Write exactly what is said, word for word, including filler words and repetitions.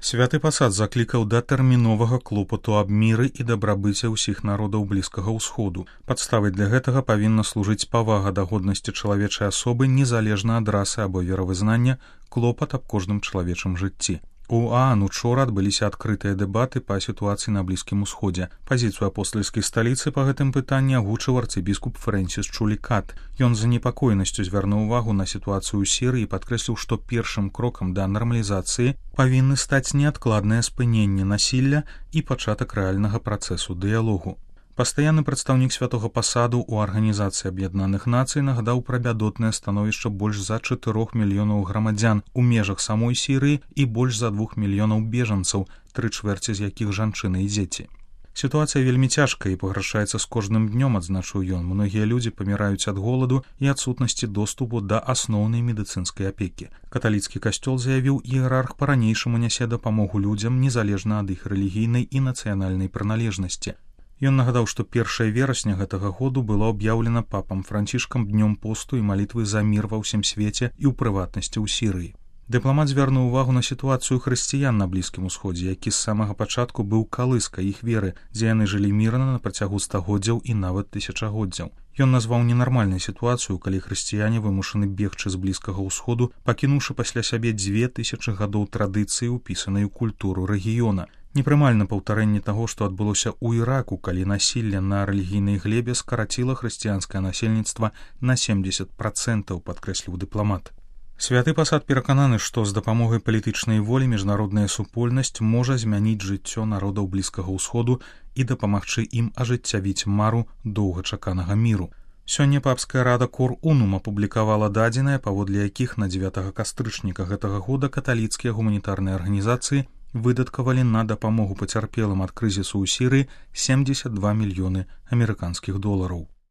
Святы пасад заклікаў да тэрміновага клопату аб міры і дабрабыце ўсіх народаў Блізкага ўсходу. Падставай для гэтага павінна служыць павага да годнасці чалавечай асобы незалежна ад расы або веравызнання, клопат аб кожным чалавечым жыцці. У ААН учора адбыліся адкрытыя дэбаты па сітуацыі на Блізкім усходзе. Пазіцыю апостальскай сталіцы па гэтым пытанні агучыў арцыбіскуп Фрэнсіс Чулікат. Ён з занепакоенасцю звярнуў увагу на сітуацыю ў Сірыі і падкрэсліў, што першым крокам да нармалізацыі павінны стаць неадкладнае спыненне насілля і пачатак рэальнага працэсу дыялогу. Пастаянны прадстаўнік святога пасаду ў Арганізацыі Аб'яднаных Нацый нагадаў пра бядотнае становішча больш за чатырох мільёнаў грамадзян у межах самой Сірыі і больш за двух мільёнаў бежанцаў, тры чвэрці з якіх жанчыны і дзеці. Сітуацыя вельмі цяжкая і пагаршаецца з кожным днём, адзначыў ён. Многія людзі паміраюць ад голаду і адсутнасці доступу да асноўнай медыцынскай апекі. Каталіцкі касцёл заявіў, іерарх па-ранейшаму нясе дапамогу людзям незалежна ад іх рэлігійнай і нацыянальнай прыналежнасці. Ён нагадаў, што першае верасня гэтага году было аб'яўлена папам Францішкам днём посту і малітвы за мір ва ўсім свеце і ў прыватнасці ў Сірыі. Дыпламат звярнуў увагу на сітуацыю хрысціян на Блізкім усходзе, які з самага пачатку быў калыскай іх веры, дзе яны жылі мірна на працягу стагоддзяў і нават тысячагоддзяў. Ён назваў ненармальнай сітуацыю, калі хрысціяне вымушаны бегчы з Блізкага ўсходу, пакінуўшы пасля сябе дзве тысячы гадоў традыцыі, упісанай у культуру рэгіёна. Непрымальна паўтарэнне таго, што адбылося ў Іраку, калі насілле на рэлігійнай глебе скараціла хрысціянскае насельніцтва на семдзесят працэнтаў, падкрэсліў дыпламат. Святы пасад перакананы, што з дапамогай палітычнай волі міжнародная супольнасць можа змяніць жыццё народаў Блізкага ўсходу і дапамагчы ім ажыццявіць мару доўгачаканага міру. Сёння папская рада Кор-Унум апублікавала дадзеныя, паводле якіх на дзевятага кастрычніка гэтага года каталіцкія гуманітарныя арганізацыі выдаткавалі на дапамогу пацярпелым ад крызісу ў Сірыі семдзесят два мільёны амерыканскіх долараў.